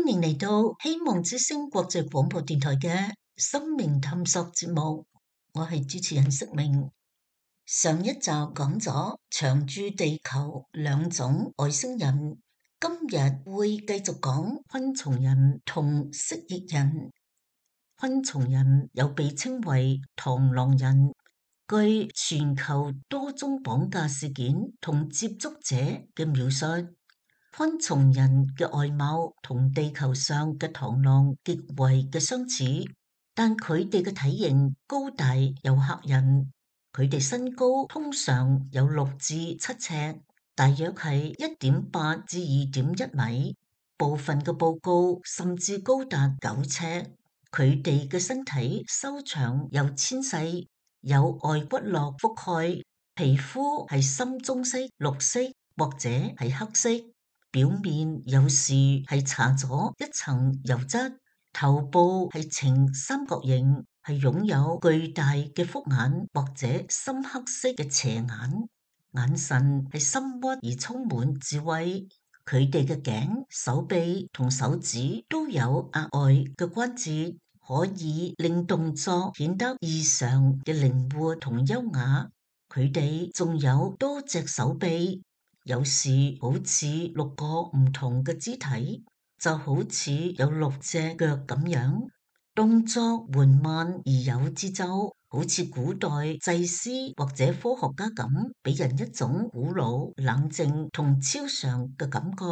歡迎嚟到希望之聲國際廣播電台嘅生命探索節目，我係主持人釋明。上一集講咗長住地球兩種外星人，今日會繼續講昆蟲人同蜥蜴人。昆蟲人又被稱為螳螂人，據全球多宗綁架事件同接觸者嘅描述，昆蟲人嘅外貌同地球上嘅螳螂極為嘅相似，但佢哋嘅體型高大又嚇人。佢哋身高通常有6至7尺，大約係1.8至2.1米，部分嘅報告甚至高達9尺。佢哋嘅身體修長又纖細，有外骨骼覆蓋，皮膚係深棕色、綠色或者係黑色。表面有時係搽咗一層油質，頭部係呈三角形，係擁有巨大嘅複眼或者深黑色嘅斜眼，眼神係深鬱而充滿智慧。佢哋嘅頸、手臂同手指都有額外嘅關節，可以令動作顯得異常嘅靈活同優雅。佢哋仲有多隻手臂。有時好似6個唔同嘅肢體，就好似有6隻腳咁樣，動作緩慢而有節奏，好似古代祭司或者科學家咁，俾人一種古老、冷靜同超常嘅感覺。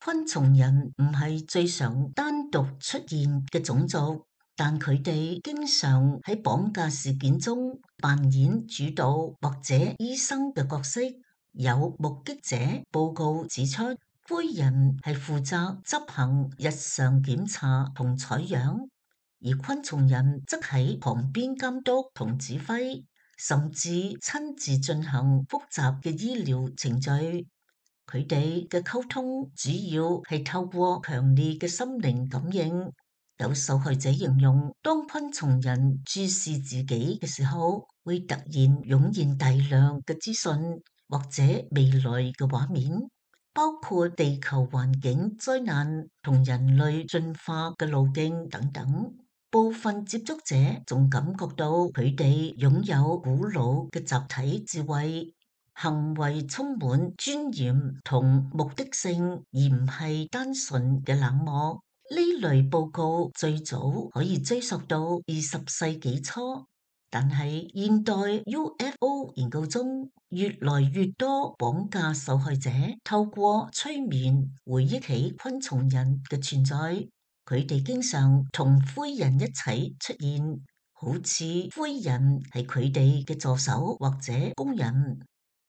昆蟲人唔係最常單獨出現嘅種族，但佢哋經常喺綁架事件中扮演主導或者醫生嘅角色。有目擊者報告指出，灰人係負責執行日常檢查同採樣，而昆蟲人則喺旁邊監督同指揮，甚至親自進行複雜嘅醫療程序。佢哋嘅溝通主要係透過強烈嘅心靈感應。有受害者形容，當昆蟲人注視自己嘅時候，會突然湧現大量嘅資訊。或者未來嘅畫面，包括地球環境災難同人類進化嘅路徑等等。部分接觸者仲感覺到佢哋擁有古老嘅集體智慧，行為充滿尊嚴同目的性，而唔係單純嘅冷漠。呢類報告最早可以追溯到20世紀初。但係現代 UFO 研究中，越來越多綁架受害者透過催眠回憶起昆蟲人嘅存在。佢哋經常同灰人一齊出現，好似灰人係佢哋嘅助手或者工人。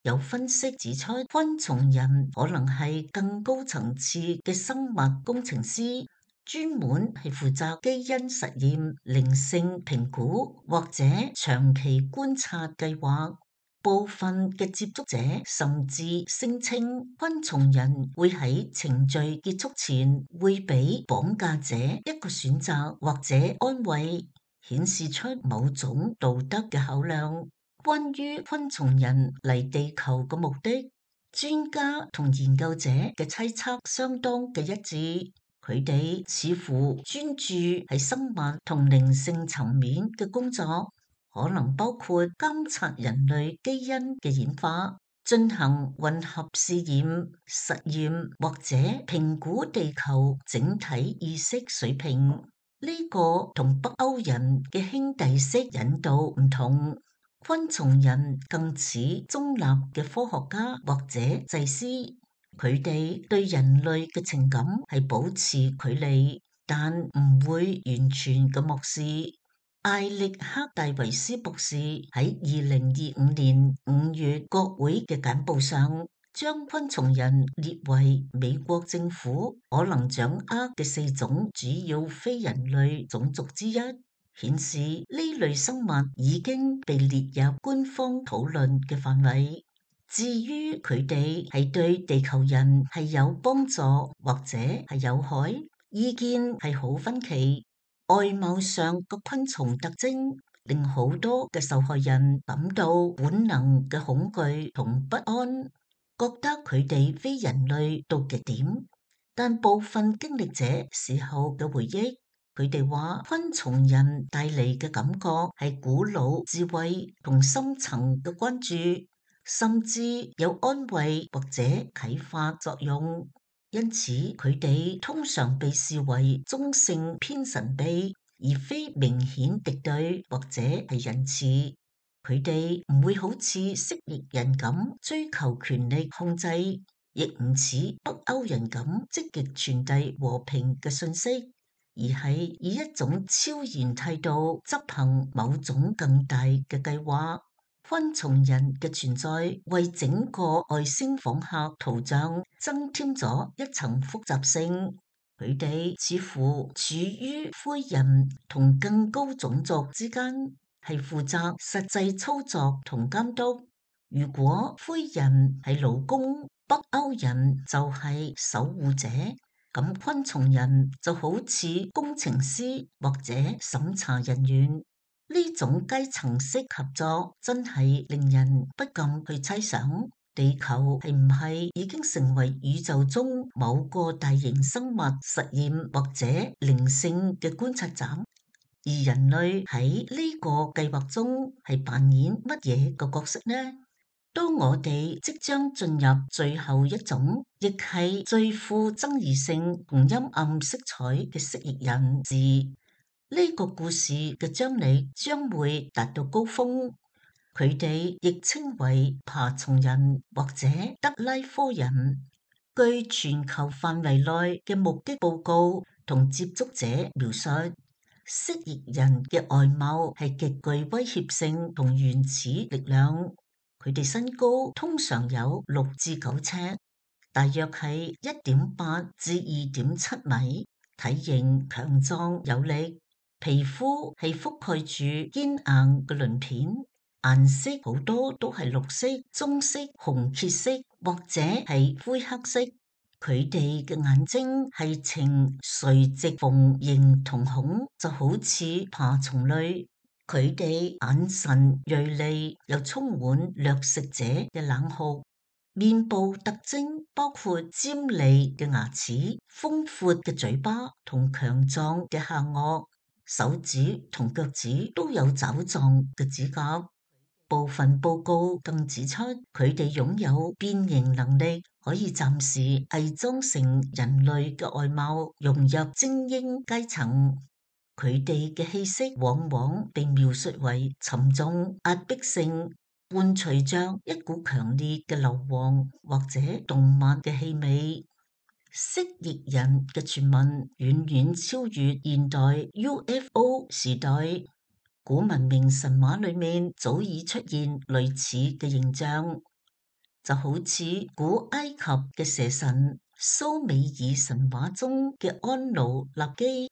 有分析指出，昆蟲人可能係更高層次嘅生物工程師。專門係負責基因實驗、靈性評估或者長期觀察計劃。部分嘅接觸者甚至聲稱，昆蟲人會喺程序結束前會俾綁架者一個選擇或者安慰，顯示出某種道德嘅考量。關於昆蟲人嚟地球嘅目的，專家同研究者嘅猜測相當嘅一致。佢哋似乎專注喺生物同靈性層面嘅工作，可能包括監察人類基因嘅演化、進行混合試驗、實驗或者評估地球整體意識水平。呢個同北歐人嘅兄弟式引導唔同，昆蟲人更似中立嘅科學家或者祭司。佢哋對人類嘅情感係保持距離，但唔會完全嘅漠視。艾力克戴維斯博士喺2025年5月國會嘅簡報上，將昆蟲人列為美國政府可能掌握嘅4種主要非人類種族之一，顯示呢類生物已經被列入官方討論嘅範圍。至於佢哋係對地球人係有幫助或者係有害，意見係好分歧。外貌上個昆蟲特徵令好多嘅受害人感到本能嘅恐懼同不安，覺得佢哋非人類到極點。但部分經歷者事後嘅回憶，佢哋話昆蟲人帶嚟嘅感覺係古老智慧同深層嘅關注，甚至有安慰或者啟發作用。因此，佢哋通常被視為中性偏神秘，而非明顯敵對或者係仁慈。佢哋唔會好似蜥蜴人咁追求權力控制，亦唔似北歐人咁積極傳遞和平嘅信息，而係以一種超然態度執行某種更大嘅計劃。昆蟲人嘅存在為整個外星訪客圖像增添咗一層複雜性。佢哋似乎處於灰人同更高種族之間，係負責實際操作同監督。如果灰人係勞工，北歐人就係守護者，咁昆蟲人就好似工程師或者審查人員。呢種階層式合作真係令人不禁去猜想，地球係唔係已經成為宇宙中某個大型生物實驗或者靈性嘅觀察站？而人類喺呢個計劃中係扮演乜嘢個角色呢？當我哋即將進入最後一種，亦係最富爭議性同陰暗色彩嘅蜥蜴人時，呢個故事嘅張力將會達到高峰。佢哋亦稱為爬蟲人或者德拉科人。據全球範圍內嘅目擊報告同接觸者描述，蜥蜴人嘅外貌係極具威脅性同原始力量。佢哋身高通常有6至9尺，大約係1.8至2.7米，體型強壯有力。皮膚係覆蓋住堅硬嘅鱗片，顏色好多都係綠色、棕色、紅褐色或者係灰黑色。佢哋嘅眼睛係呈垂直縫形瞳孔，就好似爬蟲類。佢哋眼神銳利，又充滿掠食者嘅冷酷。面部特徵包括尖利嘅牙齒、豐闊嘅嘴巴同強壯嘅下顎。手指同腳趾都有爪狀嘅指甲。部分報告更指出，佢哋擁有變形能力，可以暫時偽裝成人類嘅外貌，融入精英階層。佢哋嘅氣息往往被描述為沉重、壓迫性，伴隨着一股強烈嘅硫磺或者動物嘅氣味。蜥蜴人嘅傳聞遠遠超越現代 UFO 時代，古文明神話裏面早已出現類似嘅形象，就好似古埃及嘅蛇神、蘇美爾神話中嘅安努納基、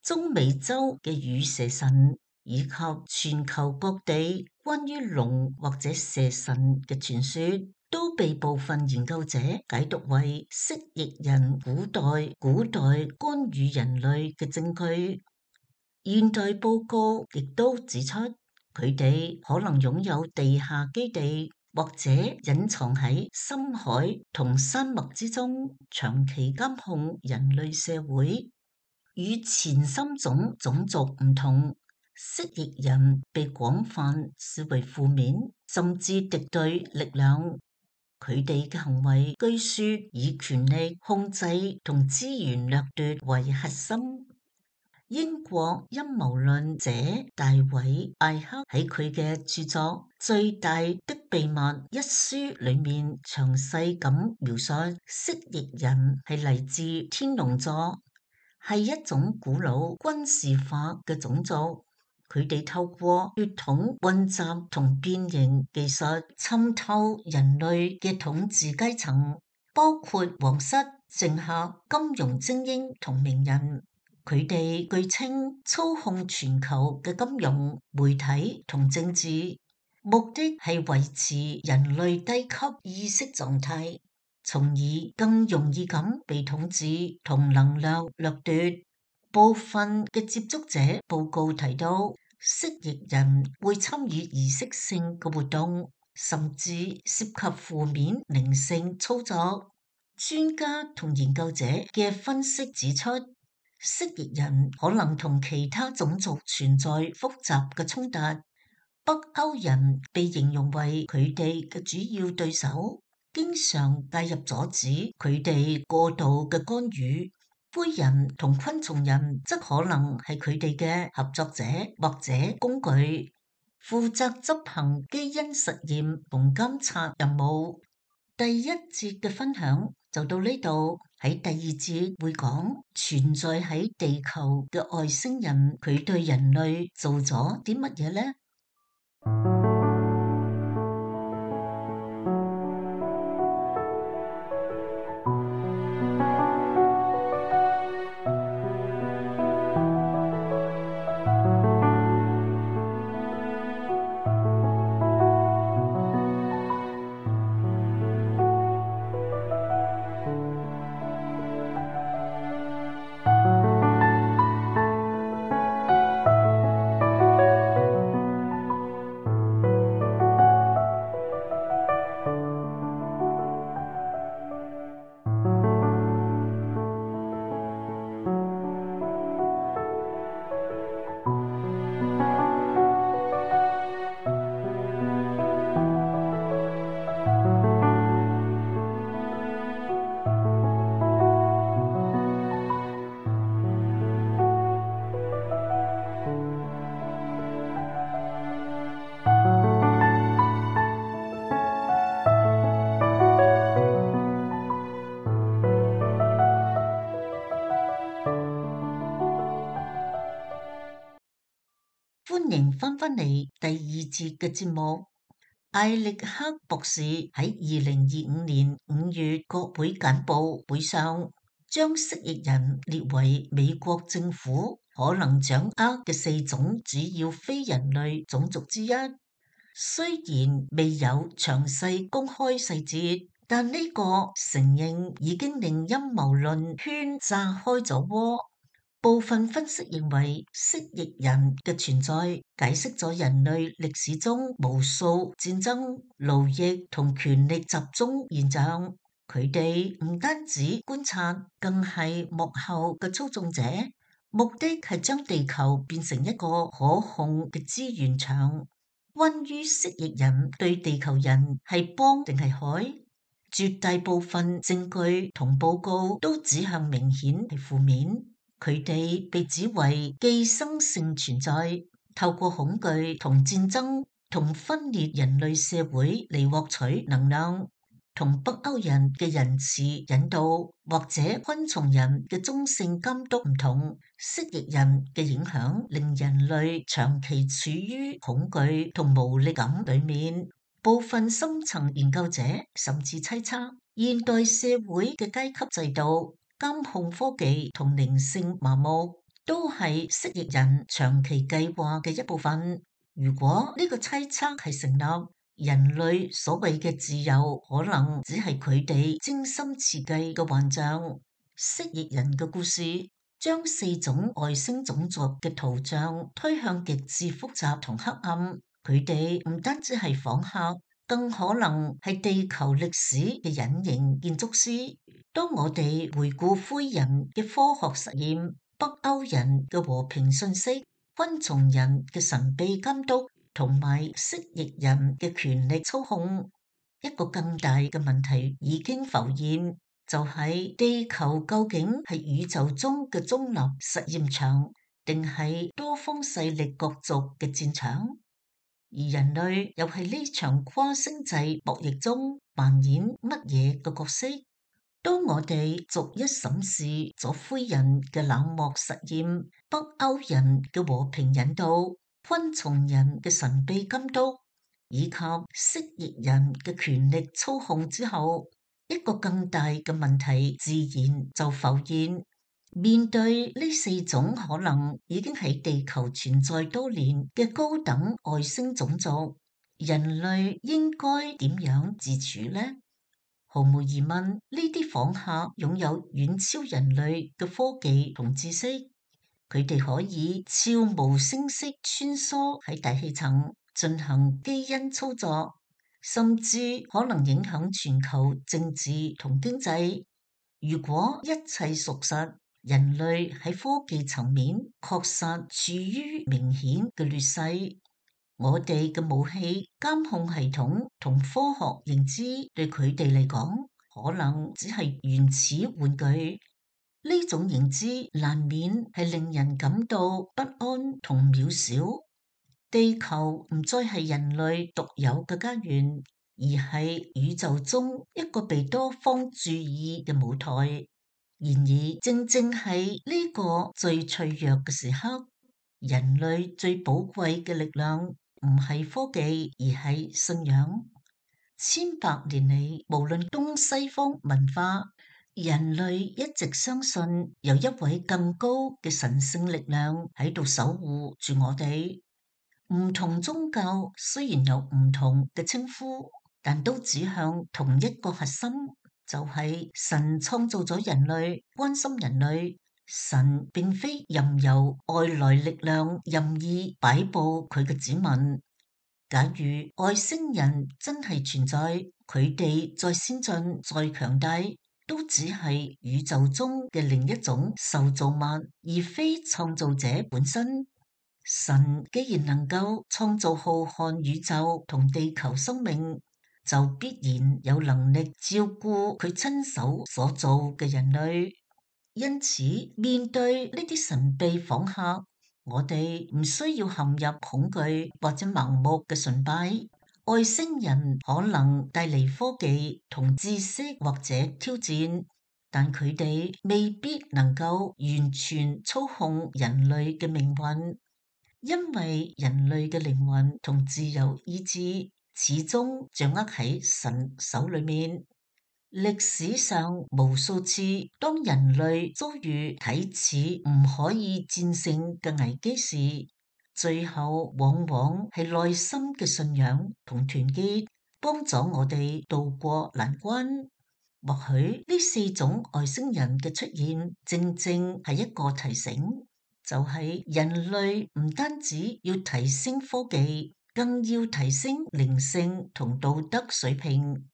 中美洲嘅羽蛇神，以及全球各地關於龍或者蛇神嘅傳說，都被部分研究者解讀為蜥蜴人古代干預人類嘅證據。現代報告亦都指出，佢哋可能擁有地下基地，或者隱藏喺深海同山脈之中，長期監控人類社會。與前三種種族唔同，蜥蜴人被廣泛視為負面甚至敵對力量。佢哋嘅行為據說以權力控制同資源掠奪為核心。英國陰謀論者大衛艾克喺佢嘅著作《最大的秘密》一書裏面詳細咁描述，蜥蜴人係嚟自天龍座，係一種古老軍事化嘅種族。佢哋透過血統混雜同變形技術滲透人類嘅統治階層，包括皇室、政客、金融精英同名人。佢哋據稱操控全球嘅金融、媒體同政治，目的係維持人類低級意識狀態，從而更容易咁被統治同能量掠奪。部分嘅接觸者報告提到，蜥蜴人會參與儀式性嘅活動，甚至涉及負面靈性操作。專家同研究者嘅分析指出，蜥蜴人可能同其他種族存在複雜嘅衝突。北歐人被形容為佢哋嘅主要對手，經常介入阻止佢哋過度嘅干預。灰人同昆蟲人則可能係佢哋嘅合作者或者工具，負責執行基因實驗同監察任務。第一節嘅分享就到呢度，喺第二節會講存在喺地球嘅外星人，佢對人類做咗啲乜嘢呢？歡迎翻返嚟第二節嘅節目。艾力克博士喺2025年5月國會簡報會上，將蜥蜴人列為美國政府可能掌握嘅4種主要非人類種族之一。雖然未有詳細公開細節，但呢個承認已經令陰謀論圈炸開咗鍋。部分分析認為，蜥蜴人嘅存在解釋咗人類歷史中無數戰爭、奴役同權力集中現象。佢哋唔單止觀察，更係幕後嘅操縱者，目的係將地球變成一個可控嘅資源場。關於蜥蜴人對地球人係幫定係害，絕大部分證據同報告都指向明顯係負面。佢哋被指為寄生性存在，透過恐懼同戰爭同分裂人類社會嚟獲取能量。同北歐人嘅仁慈引導或者昆蟲人嘅中性監督唔同，蜥蜴人嘅影響令人類長期處於恐懼同無力感裏面。部分深層研究者甚至猜測，現代社會嘅階級制度、監控科技同靈性麻木，都係蜥蜴人長期計劃嘅一部分。如果呢個猜測係成立，人類所謂嘅自由，可能只係佢哋精心設計嘅幻象。蜥蜴人嘅故事將4種外星種族嘅圖像推向極致複雜同黑暗。佢哋唔單止係訪客，更可能係地球歷史嘅隱形建築師。當我哋回顧灰人嘅科學實驗、北歐人嘅和平訊息、昆蟲人嘅神秘監督同埋蜥蜴人嘅權力操控，一個更大嘅問題已經浮現，就係地球究竟係宇宙中嘅中立實驗場，定係多方勢力角逐嘅戰場？而人類又喺呢場跨星際博弈中扮演乜嘢嘅角色？當我哋逐一審視咗灰人嘅冷漠實驗、北歐人嘅和平引導、昆蟲人嘅神秘監督，以及蜥蜴人嘅權力操控之後，一個更大嘅問題自然就浮現。面對呢4種可能已經喺地球存在多年嘅高等外星種族，人類應該點樣自處呢？毫無疑問，呢啲訪客擁有遠超人類嘅科技同知識，佢哋可以悄無聲息穿梭喺大氣層進行基因操作，甚至可能影響全球政治同經濟。如果一切屬實，人類喺科技層面確實處於明顯嘅劣勢。我哋嘅武器、監控系統同科學認知對佢哋嚟講，可能只係原始玩具。呢種認知難免係令人感到不安同渺小。地球唔再係人類獨有嘅家園，而係宇宙中一個被多方注意嘅舞台。然而，正正係呢個最脆弱嘅時刻，人類最寶貴嘅力量唔係科技，而係信仰。千百年嚟，無論東西方文化，人類一直相信有一位更高嘅神聖力量喺度守護住我哋。唔同宗教雖然有唔同嘅稱呼，但都指向同一個核心。就係神創造咗人類，關心人類。神並非任由外來力量任意擺布佢嘅子民。假如外星人真係存在，佢哋再先進、再強大，都只係宇宙中嘅另一種受造物，而非創造者本身。神既然能夠創造浩瀚宇宙同地球生命，就必然有能力照顧佢親手所造嘅人類。因此，面對呢啲神秘訪客，我哋唔需要陷入恐懼或者盲目嘅崇拜。外星人可能帶嚟科技同知識或者挑戰，但佢哋未必能夠完全操控人類嘅命運，因為人類嘅靈魂同自由意志始終掌握喺神手裏面。歷史上無數次，當人類遭遇睇似唔可以戰勝嘅危機時，最後往往係內心嘅信仰同團結幫助我哋渡過難關。或許呢四種外星人嘅出現，正正係一個提醒，就係人類唔單止要提升科技，更要提升靈性同道德水平。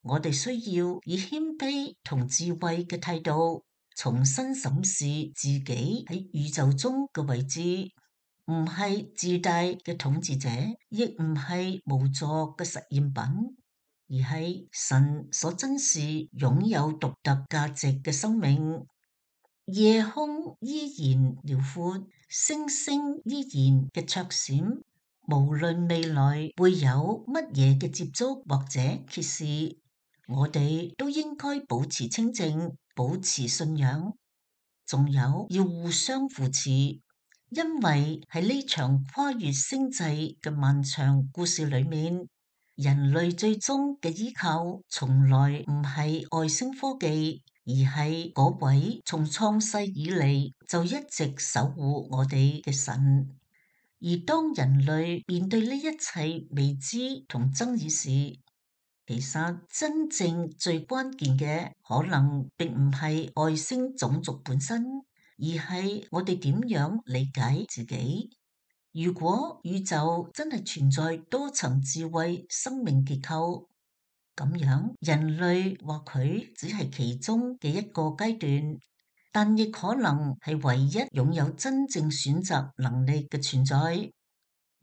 我哋需要以謙卑同智慧嘅態度，重新審視自己喺宇宙中嘅位置，唔係自大嘅統治者，亦唔係無助嘅實驗品，而係神所珍視擁有獨特價值嘅生命。夜空依然遼闊，星星依然嘅綽閃，無論未來會有乜嘢嘅接觸或者揭示，我哋都應該保持清靜，保持信仰，仲有要互相扶持，因為喺呢場跨越星際嘅漫長故事裏面，人類最終嘅依靠從來唔係外星科技，而係嗰位從創世以嚟就一直守護我哋嘅神。而當人類面對呢一切未知同爭議時，其實真正最關鍵嘅可能並唔係外星種族本身，而係我哋點樣理解自己。如果宇宙真係存在多層智慧生命結構，咁樣人類或許只係其中嘅一個階段，但亦可能係唯一擁有真正選擇能力嘅存在。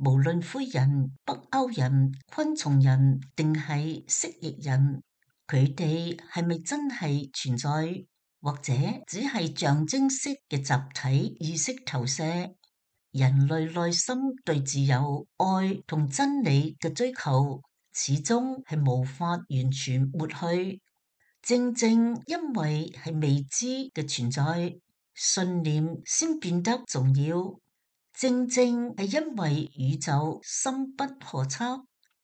無論灰人、北歐人、昆蟲人定係蜥蜴人，佢哋係咪真係存在，或者只係象徵式嘅集體意識投射？人類內心對自由、愛同真理嘅追求，始終係無法完全抹去。正正因為係未知嘅存在，信念先變得重要。正正係因為宇宙深不可測，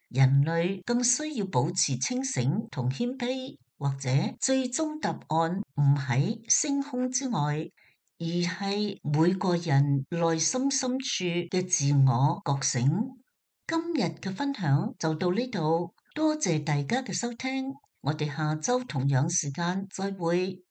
人類更需要保持清醒同謙卑，或者最終答案唔喺星空之外，而係每個人內心深處嘅自我覺醒。今日嘅分享就到呢度，多謝大家嘅收聽，我哋下周同樣時間再會。